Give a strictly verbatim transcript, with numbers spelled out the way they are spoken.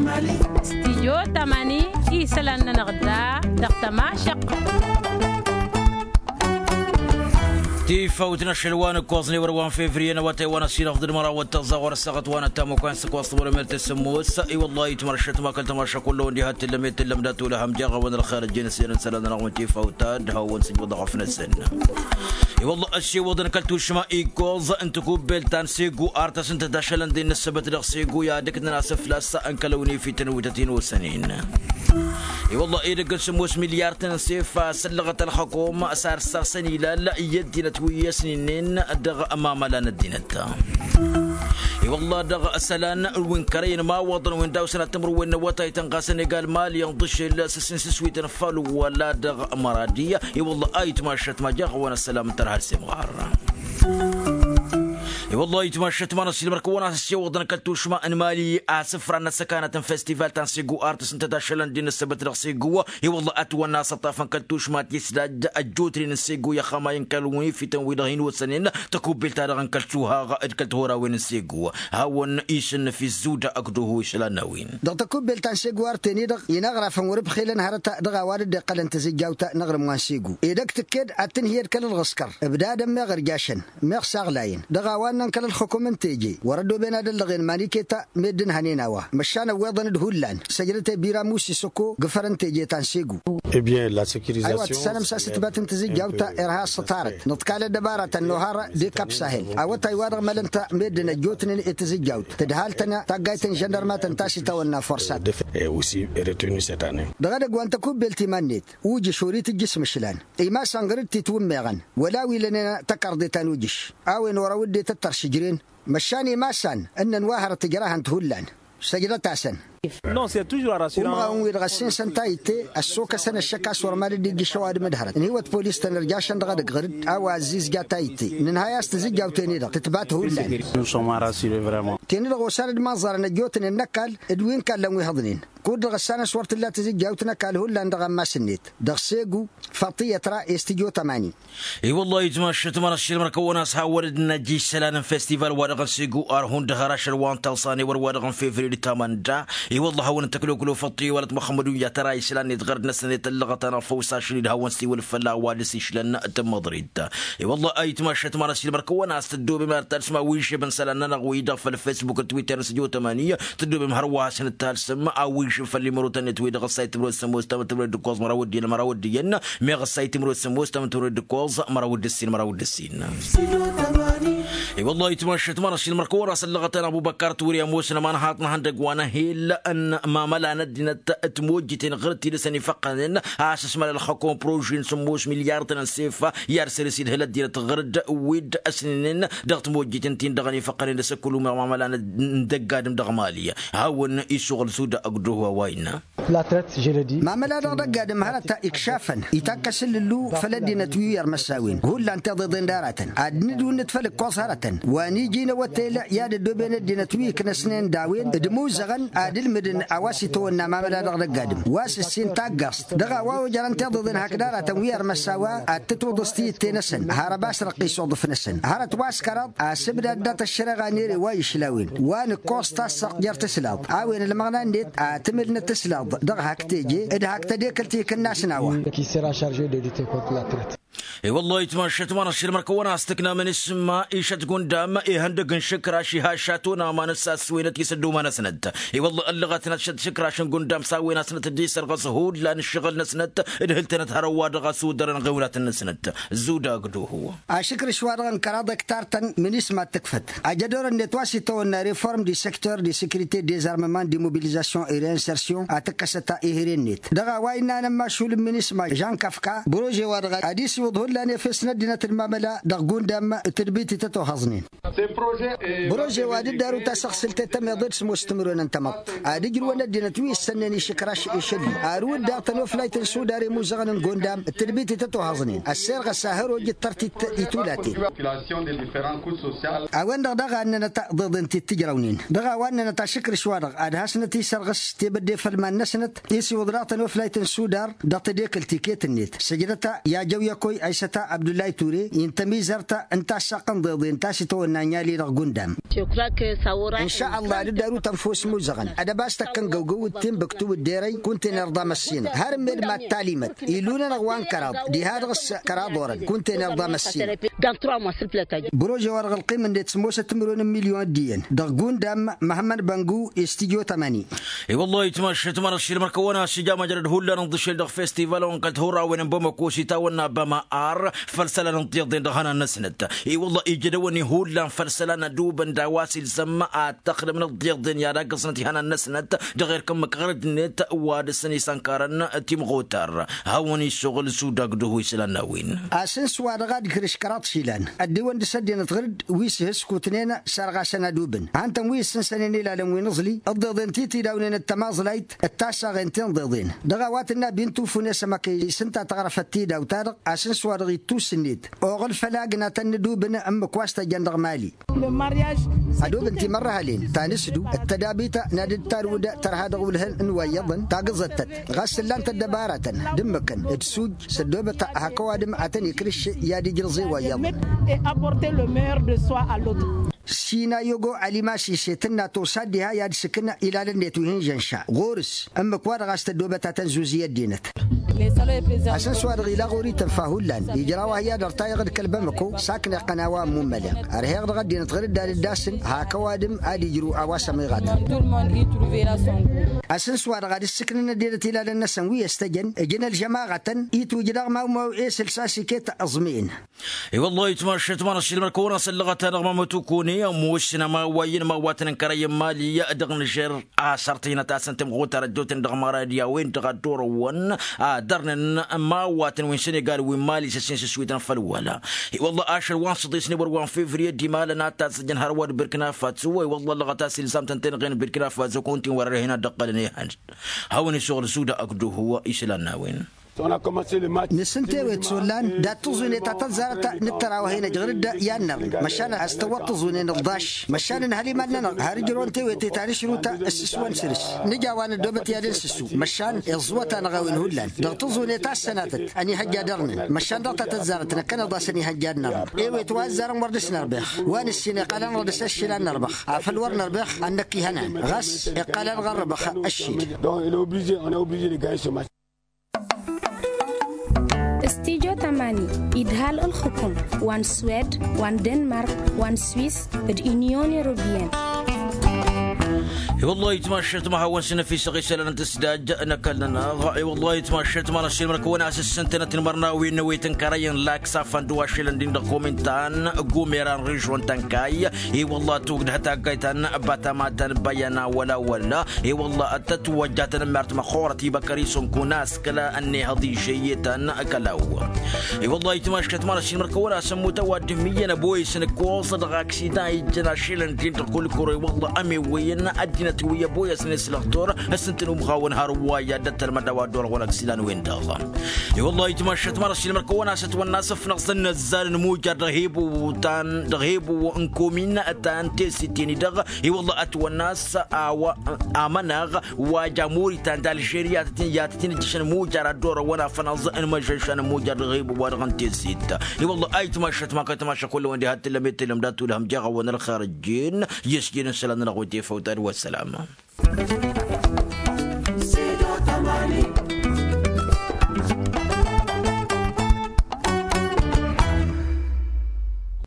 Stijyo tamani isălan-nănăɣ da dăɣ-tămašăq. Tifawt n-ašăl wa n-ǝkkoẓ n-ewăr wa n-fevriye n-awătay wa n-ăsinăɣ d-ădmăra wa t-tăẓẓa ɣur-ăssaɣăt wa n-ăttam wa n-săkwaẓ tămărămer tăsǝmmos. I-wălla itmărăšăt ma kăl-tămašăk wălla wăndi hat tǝllăm i-tǝllăm dat-olăhăm jaɣ-awăn ălxer ăjjeen ăsiyăn n-isălan-nănăɣ mătefawt ad-hawăn-sǝjwăḍ ɣăf-năsăn. I-wălla ăssiwăḍăn kăl-tušma ikkoẓ n-tăkubbelt ta n-segu ar tăsǝntăt ašălăn d-innă ǝssăbăt dăɣ-segu i-ad-ǝknăn asǝflas n-kăl-ăwnifităn wi tăt-in-osănen. I-wălla edăgg n-sǝmmos milyar-tăn n-sef a săllăɣăt ălxăkom s-ar sasăn ilal i-ăddinăt wi ăsninen dăɣ-mamăla n-ăddinăt. I-wălla dăɣ-isălan wi n-kărăyăn imawaḍăn wi n-dawsăn ad-tǝmrǝwwen n-awătay tăn-ɣasăn egal mali n-ḍǝšel s-asǝnsǝswităn făll-wăla dăɣ-măradi. I-wălla a itmašăt ma jaɣ-awăn ăssălam n-tărha ălsemɣar. I-wălla a itmašăt ma n-ăsilmăr kăwăn-as ăssiwăḍăn kăl-tušma n-mali asǝfra n-ăssăkanăt n-festival ta n-segu ar tăsǝntăt ašălăn d-innă ăssăbăt dăɣ-segu. I-wălla ătwănna asăṭṭaf n-kăl-tušma tisdaj ăjjootnen n-segu i-ăxxămay n-kăl-unifităn wi-dăɣ hin-osănen tăkubbelt-ta-dăɣ n-kăl-tuhaɣ d-kăl-tihărawen n-segu. Hawăn-isǝnnǝf izzuda ăkduhu isălan n-a-wen. Dăɣ-tăkubbelt ta n-segu ar ten-i-dăɣ inaɣrafăn wăr-ǝbxilăn hărăt dăɣ-a-wa dd-iqqălăn tazǝjjawt n-aɣrǝm wa n-segu edăgg tǝkked ad-tǝnhǝyăd kăl-ălɣǝskăr ǝbdadăn meɣ ărjašăn meɣ saɣlayăn dăɣ-a-wa ǝnnăn kăl-ălxukum n-teje wăr-ăddooben ad-ăllăɣen maniketa meddǝn hănen a-wa măšan ăwweḍăn-dd hullan săjdăt i-bira musi săko gǝfăr n-teje ta n-segu. Aywa tǝssanăm s-asǝtbat n-tazǝjjawt irha ăṣṣătarăt nǝḍkal ăddăbaratăn n-ohar dekap sahel awătay wa dăɣ-mălăn-t meddǝn ăjjootnen i-tazǝjjawt tǝdhal-tăn taggayt n-žăndărmatăn ta s-itawănna forsat. Dăɣ-edăgg wa n-tăkubbelt iman-net ujǝš ori-tǝjjǝs mǝšlan imasan ɣur-dd titwǝmmeɣăn wăla wi lănen tăkarḍe ta n-ujǝš a-wen orăw dd-e-tăttăr šǝjren măšan imasan ǝnnăn wa hărăt ǝjrahăn-t hullan. Săjdăt-asăn. Umɣawăn-wi-dăɣ ăssinsăn tayǝtte ăssokăsăn ăššăk a-s wăr mad-dd-ijjǝš ăwadǝm d-hărăt ǝnhǝywăt polis-tăn ărjašăn dăɣ-edăgg ɣǝr-dd a-wa ăzzizja tayǝtte nǝnhay a-s tazǝjjawt-en-i-dăɣ tǝtbat hullan. Ten-i-dăɣ osan d-imaẓẓarăn ăjjootnen n-ăkall d-wi n-kallăn wi hǝḍnen kud-dăɣ ăssanăs wăr t-tǝlla tazǝjjawt n-ăkall hullan dăɣ-ammas-net dăɣ-segu făṭṭiyyăt ra i-s tǝjjo tămani. I-wăllah itmašăt ma n-ăssiilmăr kăwăn-as hawăn-dd-năj isălan n-festival-wa-dăɣ n-segu ar hundăɣ har ašăl wa n-taẓan ewăr-wa-dăɣ n-fevriye d-tamănda. I-wăllah hawăn-dd-tăkloklo făṭṭi wălăt muxămmăd unja tăra isălan-net ɣărd-năsăn i-tăllăɣăt-anăɣ făw s-ašăl-dd hawăn-siwǝl fălla a-wa dăr-s išlăn tămmăḍrit. I-wăllah a itmašăt ma n-ăssiilmăr kăwăn-as tăddobem ar talsǝm a-wa išebăn isălan-nănăɣ-wi-dăɣ făll-fesbuk d-twitter n-sǝjo tămani. Tăddobem hărwa hasăn-dd-talsǝm a-wa išǝn făll-imărotăn-net wi-dăɣ ăssayt timǝrwet sămoos tamǝttǝmrăwet d-ǝkkoẓ măraw ăddinăl măraw ăddinăl meɣ ăssayt timǝrwet sămoos tamǝttǝmrăwet d-ǝkkoẓ măraw d-ǝssin măraw d-ǝssin. I-wăllah itmašăt ma n-ăssiilmăr kăwăn-as ăllăɣăt-anăɣ bubăkkar turi ămoos n-aman haṭ n-ihăndăgg wa n-ehel n-mamăla n-ăddinăt. Timojjiten ɣur-dd tidǝsăn ifăqqănen a-s ǝsmăl ălxăkom prožin sǝmmos milyar-tăn n-sefa i-ad-săr-s idhǝl ăddinăt ɣur-dd wi-dd ăsninen dăɣ-timojjiten-tin-dăɣ ănifăqqănen d-asăkkăl umeɣ mamăla n-dăgg-adǝm dăɣ-mali. Hawăn-isuɣǝl suda ăgg-duhu a-wa innă. Mamăla-dăɣ dăgg-adǝm hărăt ikšafăn itakk asǝllǝllu făll-ăddinăt wi wi-ărmăs a-wen hullan tiḍeḍen d-aratăn ad-nǝdwǝnnǝt făll-ǝkkoẓ hărătăn wa n-iji n-awăttel i-ad-ăddooben ăddinăt wi ǝknăsnen d-a-wen d-imuzăɣăn ad-ǝlmǝdăn a-wa s-itawănna mamăla-dăɣ dăgg-adǝm wa s-ǝssin taggaẓt dăɣ-a-wa ojărăn tiḍeḍen hakd aratăn wi ărmăs a-wa ad-tǝtwǝḍǝs tiyǝtte-năsăn. Hărăb a-s răqqis uḍǝf-năsăn hărăt wa s-kăraḍ asǝbdad dat-ăššăreɣa n-ere wa išla a-wen wa nǝkkoẓ tassăɣt jer-tǝslaḍ a-wen ălmăɣna-net ad-tǝmǝlnăt tǝslaḍ dăɣ-hak teje d-hak tădekălt ikǝnnas n-a-wa. I-wăllah itmašăt ma n-ăššăl măr-kăwăn-as tǝknamăn isǝmma išăt gundam ihăndăg n-išǝkraš iha šaton aman s-assăwenăt i-săddoma-năsnăt. I-wăllah ăllăɣătnăt šăt išǝkraš n-gundam s-a-wen-asnăt dd-isărɣăs hullan ǝššăɣǝl-năsnăt d-hǝl-tănăt hărăwwa dăɣ-asudărăn ɣewnatăn-năsnăt. Zudagduhu. Ašǝkrǝš-wa-dăɣ n-kăraḍ ăktar-tăn minisma ad-tǝkfăt ajădor-net wa s-itawănna reform di secteur di securite dezarmăman di mobilizasyon iri insersion ad-tǝkkăsăt ihere-net dăɣ-a-wa innă anămmašul n-minisma žan kăfka. Brože-wa-dăɣ ad-isiwǝḍ hullan efes n-ăddinăt d-mamăla dăɣ-gundam d-tadbit i-tătohăẓnen. Brože-wa d-dd-arǝw tasăɣsǝlt i-tămeḍe d-sămoos timǝrwen n-tamăḍt ad-ǝjrǝwăn ăddinăt wi issănnen išǝkraš išălli arǝw-dd daɣ tănoflayt n-sudar i-imuzăɣăn n-gundam d-tadbit i-tătohăẓnen ăssirɣăs a hăroj d-tărtit. I-tulaten a-wen-dăɣ daɣ a ǝnnănăt ḍeḍen ti t-ǝjrăwnen dăɣ-a-wa ǝnnănăt ašǝkrǝš-wa-dăɣ ad-hasnăt-isărɣǝs tebădde făll-iman-năsnăt isiwǝḍ daɣ tănoflayt n-sudar dăɣ-tedekălt iket-net săjdăt-a i-ajăw i-ăkoy a. Săta abdullay ture intămizăr ta n-tassaqq n-deḍen ta s-itawănna n-yali dăɣ-gundam. N-šalla d-ăddarut ănfos muzăɣăn ad-ăbas tăkkăn găwgăw d-tinbǝktu d-derăy kunta-en irḍa măssinăɣ har n-med mad-talimăt ilun-anăɣ wa n-kăraḍ diha-dăɣ s-kăraḍ orăn kunta-en irḍa măssinăɣ. Buroj a-wa dăɣ-ălqim-net s-ămoosăt timǝrwen n-milyon d-iyyăn dăɣ-gundam. Măhămmăd băngu i-studyo tămani. I-wăllah itmašăt mănăɣ šilmăr kăwăn-asǝja măjrăd hullan ǝnḍǝšel dăɣ-festival wa n-kăl-t hurrawen n-bamăko s-itawănna bama ar făll-isălan n-tiḍen dăɣ-ihănan-năsnăt. I-wăllah ijădăwăn ihullan făll-isălan ădubăn d-a-wa s-ilzăm ad-tăxdăm n-tiḍen i-ad-agg-ăẓnăt ihănan-năsnăt dăɣ-erk ǝmmǝk ɣărăd-net wa dăɣ-săn isănkarăn timɣutar. Hawăn-isuɣǝl s-udagdǝhu isălan n-a-wen. Asǝns wa dăɣ-ad-ǝkrǝš kăraḍ išilan ăddiwăn dăɣ-s ăddinăt ɣǝr-dd wi s-ihǝskutnen sărɣasăn ădubǝn. Hantăn wi ǝssǝnsănen ilalăn wi n-aẓli ǝḍḍeḍen ti tidawnen d-tamaẓlayt d-tasaɣen ti n-ḍeḍen dăɣ-a-wa tǝnna bintu fune s-ămăk isǝnta taɣrăfăt tidawt-ta-dăɣ. Asǝns wa dăɣ-ittus-net oɣǝl făll-agnatăn n-ădubǝn ǝmmǝk wa s-tăjjăn dăɣ-mali. Ădubǝn timărrăhălen ta n-asǝdu d-tădabit n-ad-dd-tarwǝd tărha dăɣ-iwǝlhăn n-wa iyyăḍăn tagǝẓăttăt ɣas ǝllan-t ăddăbaratăn d-ǝmmǝkăn d-suj s-ăddoobăt hak ăwadǝm ad-tăn-ikrǝš i-ad-ijrǝẓe wa iyyăḍăn. Sinayogo alimasi s-e-tǝnna tosa dd-iha i-ad-sǝkǝn ilalăn-net wi hin-žănša ɣur-s ǝmmǝk-wa-dăɣ a-s tăddoobăt ad-tăn-zuzi ăddinăt. Asǝns-wa-dăɣ ila ɣur-i tǝnfa hullan ijraw-ahi ad-ărtayăɣ d-kăl-bamăko sakneɣ-tăn a-wa ămmummăleɣ. Ărheɣ dăɣ-ăddinăt ɣǝr-dd ad-dd-asǝn hak ăwadǝm ad-ijru a-wa s-ămiɣatăn. Asǝns-wa-dăɣ ad-ǝssǝknăn ăddinăt ilalăn-năsăn wi ăstăjăn ǝjǝn ălžămaɣătăn itwǝjdaɣ mawmaw esǝl s-asikăy t-aẓmi'in. I-wăllah itmašăt ma n-ašilmăr kăwăn-asăllăɣăt-anăɣ mamăt ukune ămoosnăm a-wa iyyăn ma wa tăn-ǝnkărăyăn mali dăɣ-nǝžer. Asărtăynăt-asăn timɣutar ăjjootnen dăɣ-măra d-i-a-wen-dăɣ a dd-orăwăn ad-dărnen ma wa tăn-wi n-senegal wi n-mali s-ăssin s-ǝswităn făll-wăla. I-wăllah ašăl wa n-săḍisne wăr wa n-fevriye d-imalăn ad-tazzăjăn hărwa d-birkina faso i-wăllah ăllăɣăt-as ilzam tăn-tenɣen birkina faso kăwăn-t-in wăr-ărhen ad-dd-ăqqălăn ihăn. Hawăn-isuɣǝl suda ăkduhu isălan n-a-wen. Nǝsǝnta ewet s-ollan dat-tǝẓune ta tăzzarăt n-ǝttăraw a hin-ăjɣǝr-dd i-ad-nărrǝm măšan a-s tăwwăḍ tǝẓune n-ǝḍḍaš. Măšan ǝnhăl iman-nănăɣ har ǝjrăwăn tewete ta n-ašrǝw ta ǝssǝswăn săr-s nǝja wa n-ăddoobăt i-ad-ǝnsǝssu. Măšan iẓẓǝwăt-anăɣ a-wen hullan dăɣ-tǝẓune ta s-sănatăt ănihăjja dăr-nǝn măšan dăɣ-ta tăzzarăt năkkăneḍ a-s ănihăjja ad-nărrǝm. Ewet wa ăzzarăn wăr dăr-s nărbăx wa nǝssin iqqăl-anăɣ dăr-s ăššil ad-nărbăx afăl wăr nărbăx ad-năkk ihănan ɣas iqqăl-anăɣ ărrăbăx. Ăššil. Studyo tămani idhal ǝlxǝkum wa n-swed wa n-denmark wa n-swiss d-inyon europiyăn. I-wăllah itmašăt ma hawăn-s năfisăɣ isălan n-tǝsdaj n-ăkall-nănăɣ. I-wăllah itmašăt ma n-ăssilmăr kăwăn-asǝssǝntănăt n-imărnawen n-ewet n-kărăy n-laks afănd wa šilăn din dăɣ-komintan gumeran režon tănkay. I-wăllah tugdăh taggayt ta n-batama ta n-băyăna wăla wăla. I-wăllah tătwăjja tanămmert măxorăt ibăkăr isǝnkun askăla ănnihăḍ ižăyyetăn kălaw. I-wăllah itmaškăt ma n-ašilmăr kăwăn-asămmut ăwadǝm iyyăn ăboyăs n-ǝkkoẓ dăɣ-aksidan ijjăn ašilăn din dăɣ-kulkuro i-wăllah ămewăyăn ăddinăt wi ăboyăsnen s-lăxtor. Ăssǝntăn umɣawăn har ǝwwayya dd-ăttălmăd a-wa dd-orăwăn ăksidan-wen-dăɣ. I-wăllah itmaškăt ma n-ašilmăr kăwăn-asăt wănna s-ăfnăɣ s-ănnăzzal n-mujar dăɣ-hebu ta n-dăɣ-hebu n-komin ta n-tesit-en-i-dăɣ. I-wăllah ătwănna a-s a-wa amănaɣ wa ja muritan d-alžeriya i-ad-tăt-in-ǝjjǝšăn mujar ad-dd-orăwăn afănaẓ n-imăžžăšan n-mujar dăɣ-ibuba-dăɣ n-tezit. I-wălla a itmašăt ma kăy-tamaša kull-wen diha t-tǝllăm i-tǝllăm d-ad-tulhăm jeɣ-awăn ălxerăjjen. I-ăsjed n-isălan-nănăɣ wi tefăwt ad-wăssalam.